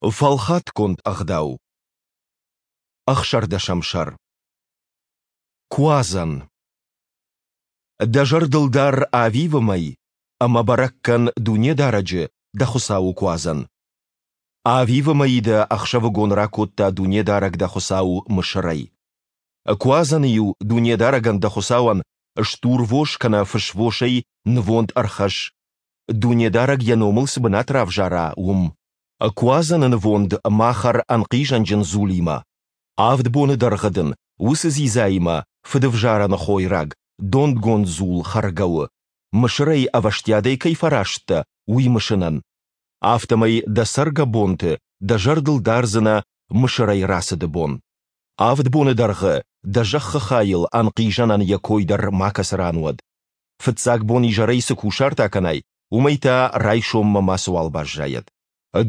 Фӕлхатгонд ӕгъдау. Ӕхсӕрдӕсӕм сӕр. Куадзӕн. Дӕ зӕрдыл дар Авивы мӕй ӕмӕ бӕрӕг кӕн Дунедарӕджы, дӕ Хуыцауы Куадзӕн. Авивы мӕйы дӕ ӕхсӕвыгон ракодта Дунедарӕг дӕ Хуыцау Мысырӕй. Куадзӕны-иу Дунедарӕгӕн дӕ Хуыцауӕн стурвос кӕнӕ фысвосӕй нывонд ӕрхӕсс, Дунедарӕг йӕ номыл цы бынат равзара, уым. Куадзӕны нывонд ма хӕр ӕнхъизӕнджын дзулимӕ. Авд боны дӕргъы дын уыцы дзидзаимӕ фыдывзарӕны хойраг, дондгонд дзул хӕргӕ у, Мысырӕй ӕвӕстиатӕй кӕй фӕраст дӕ, уый мысынӕн. Афтӕмӕй дӕ цӕргӕбонты дӕ зӕрдыл дардзынӕ Мысырӕй рацыды бон. Авд боны дӕргъы дӕ зӕххы хайыл ӕнхъизӕнӕн йӕ кой дӕр макӕцы ран уӕд. Фыццаг бон изӕрӕй цы кусарт акӕнай, уымӕй та райсоммӕ мацыуал баззайӕд.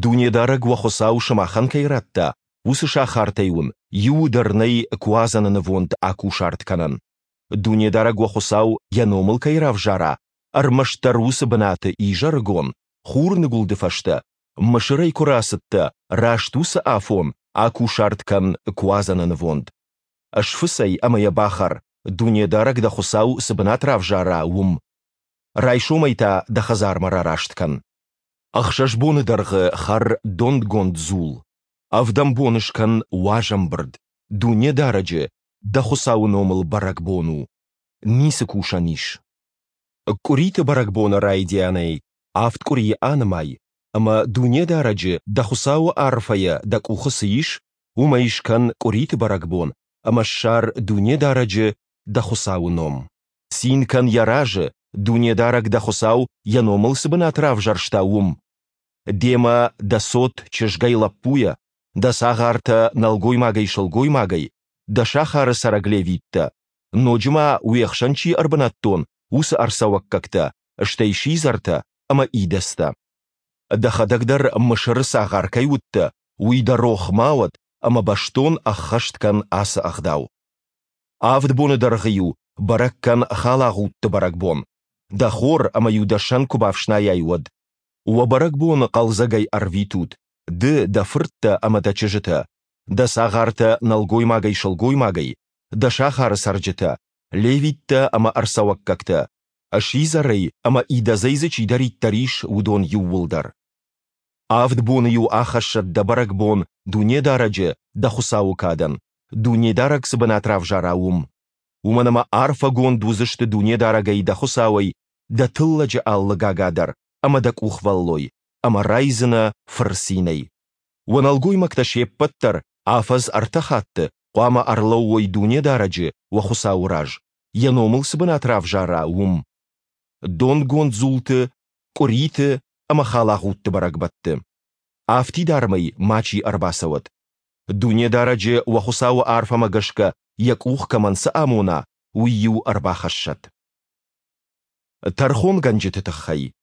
Дунедарӕг уӕ Хуыцау сымахӕн кӕй радта, уыцы сахартӕй уын иуы дӕр нӕй Куадзӕны нывонд акусарт кӕнӕн. Дунедарӕг уӕ Хуыцау Йӕ номыл кӕй равзара, ӕрмӕстдӕр уыцы бынаты изӕрыгон, хурныгуылды фӕстӕ, Мысырӕй куы рацыдтӕ, раст уыцы афон акусарт кӕн Куадзӕны нывонд. Сфыц ӕй ӕмӕ йӕ бахӕр, Дунедарӕг дӕ Хуыцау цы бынат равзара, уым. Райсомӕй та дӕ хӕдзармӕ рараст кӕн. Ӕхсӕз боны дӕргъы хӕр дондгонд дзул. Ӕвдӕм бон скӕн уазӕмбырд, Дунедарӕджы, дӕ Хуыцауы номыл бӕрӕгбон у. Ницы кусӕн ис. Къуыриты бӕрӕгбоны райдианӕй авд къуырийы анымай, ӕмӕ Дунедарӕджы, дӕ Хуыцауы арфӕйӕ дӕ къухы цы ис, уымӕй скӕн къуыриты бӕрӕгбон ӕмӕ ссар Дунедарӕджы, дӕ Хуыцауы ном. Цин кӕн Йӕ разы, Дунедарӕг дӕ Хуыцау Йӕ номыл цы бынат равзӕрста, уым. Демӕ дӕ цот чызгӕй-лӕппуйӕ, дӕ цагъартӕ нӕлгоймагӕй-сылгоймагӕй, дӕ сахары цӕрӕг левиттӕ, ноджы ма уе хсӕн чи ӕрбынӕттон, уыцы ӕрцӕуӕггӕгтӕ, стӕй сидзӕртӕ ӕмӕ идӕдзтӕ. Дӕхӕдӕг дӕр Мысыры цагъар кӕй уыдтӕ, уый дӕ рох ма уӕд ӕмӕ бӕстон ӕххӕст кӕн ацы ӕгъдау. Авд боны дӕргъы-иу бӕрӕг кӕн халагъудты бӕрӕгбон, дӕ хор ӕмӕ-иу дӕ сӕн куы бафснайай, уӕд. Уӕ бӕрӕгбон хъӕлдзӕгӕй ӕрвитут, ды, дӕ фырттӕ ӕмӕ дӕ чызджытӕ, дӕ цагъартӕ нӕлгоймагӕй-сылгоймагӕй, дӕ сахары цӕрджытӕ, левиттӕ ӕмӕ ӕрцӕуӕггӕгтӕ, сидзӕрӕй ӕмӕ идӕдзӕй дзы чидӕриддӕр ис, уыдон иууылдӕр. Авд боны-иу ахӕссӕд дӕ бӕрӕгбон Дунедарӕджы, дӕ Хуыцауы кадӕн, Дунедарӕг цы бынат равзара, уым. Уымӕн ӕмӕ арфӕгонд уыдзысты Дунедарӕгӕй дӕ Хуыцауӕй дӕ тыллӕджы алы гага дӕр ӕмӕ дӕ къухвӕллой, ӕмӕ райдзынӕ фырцинӕй. Уӕ нӕлгоймӕгтӕ се ппӕт дӕр афӕдз ӕртӕ хатты хъуамӕ ӕрлӕууой Дунедарӕджы, уӕ Хуыцауы раз, Йӕ номыл цы бынат равзара, уым. Донгонд дзулты, къуыриты ӕмӕ халагъудты бӕрӕгбӕтты. Афтидармӕй мачи ӕрбацӕуӕд. Дунедарӕджы уӕ Хуыцауы арфӕмӕ гӕсгӕ йӕ къух кӕмӕн цы амона, уый-иу ӕрбахӕссӕд. Тӕрхонгӕнджыты тыххӕй.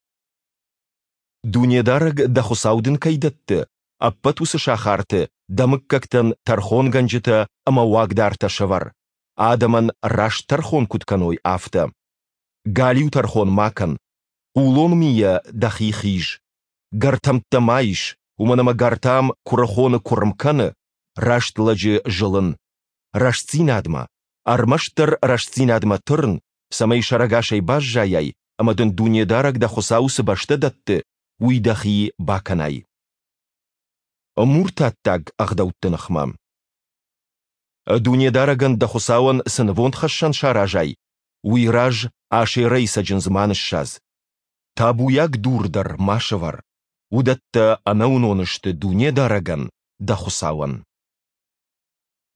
Дунедарӕг дӕ Хуыцау дын кӕй дӕтты, ӕппӕт уыцы сахарты дӕ мыггӕгтӕн тӕрхонгӕнджытӕ ӕмӕ уагдартӕ сӕвӕр, адӕмӕн раст тӕрхон куыд кӕной, афтӕ. Галиу тӕрхон ма кӕн, хъулон мийӕ дӕхи хиз. Гӕртӕмттӕ ма ис, уымӕн ӕмӕ гӕртам куырыхоны куырм кӕны, раст лӕджы зылын. Рӕстдзинадмӕ, ӕрмӕстдӕр рӕстдзинадмӕ тырн, цӕмӕй сӕрӕгасӕй баззайай ӕмӕ дын Дунедарӕг дӕ Хуыцау цы бӕстӕ дӕтты, уый дӕхи бакӕнай. Муртаттаг ӕгъдӕутты ныхмӕ. Дунедарӕгӕн дӕ Хуыцауӕн цы нывондхӕссӕн саразай, уый раз Ашерӕйы цӕджындз ма ныссадз. Табуйаг дур дӕр ма сӕвӕр. Уыдӕттӕ ӕнӕуынон сты Дунедарӕгӕн, дӕ Хуыцауӕн.